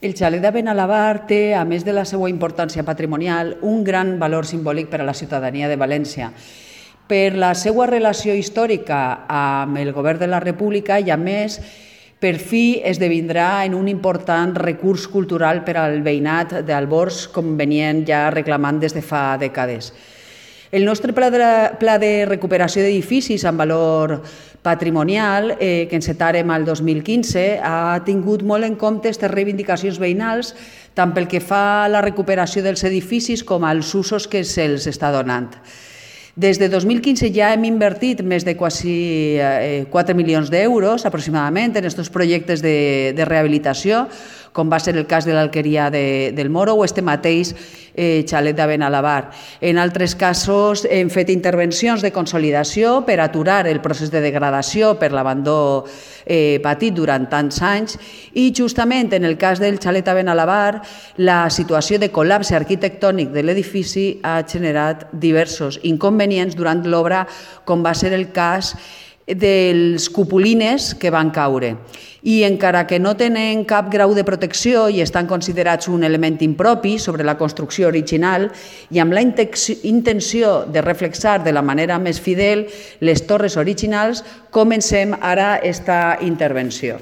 El xalet de Benalabar té, a més de la seva importància patrimonial, un gran valor simbòlic per a la ciutadania de València, per la seva relació històrica amb el govern de la República i, a més, per fi esdevindrà en un important recurs cultural per al veïnat d'Albors, com venien ja reclamant des de fa dècades. El nostre pla de recuperació d'edificis amb valor patrimonial, que encetarem al 2015, ha tingut molt en compte aquestes reivindicacions veïnals, tant pel que fa a la recuperació dels edificis com als usos que se'ls està donant. Des de 2015 ja hem invertit més de quasi 4 milions d'euros aproximadament en aquests projectes de rehabilitació, com va ser el cas de l'Alqueria del Moro o este mateix xalet de Benalabar. En altres casos hem fet intervencions de consolidació per aturar el procés de degradació per l'abandó patit durant tants anys i justament en el cas del xalet de Benalabar la situació de col·lapse arquitectònic de l'edifici ha generat diversos inconvenients durant l'obra, com va ser el cas dels cupulines que van caure. I encara que no tenen cap grau de protecció i estan considerats un element impropi sobre la construcció original i amb la intenció de reflexar de la manera més fidel les torres originals, comencem ara esta intervenció.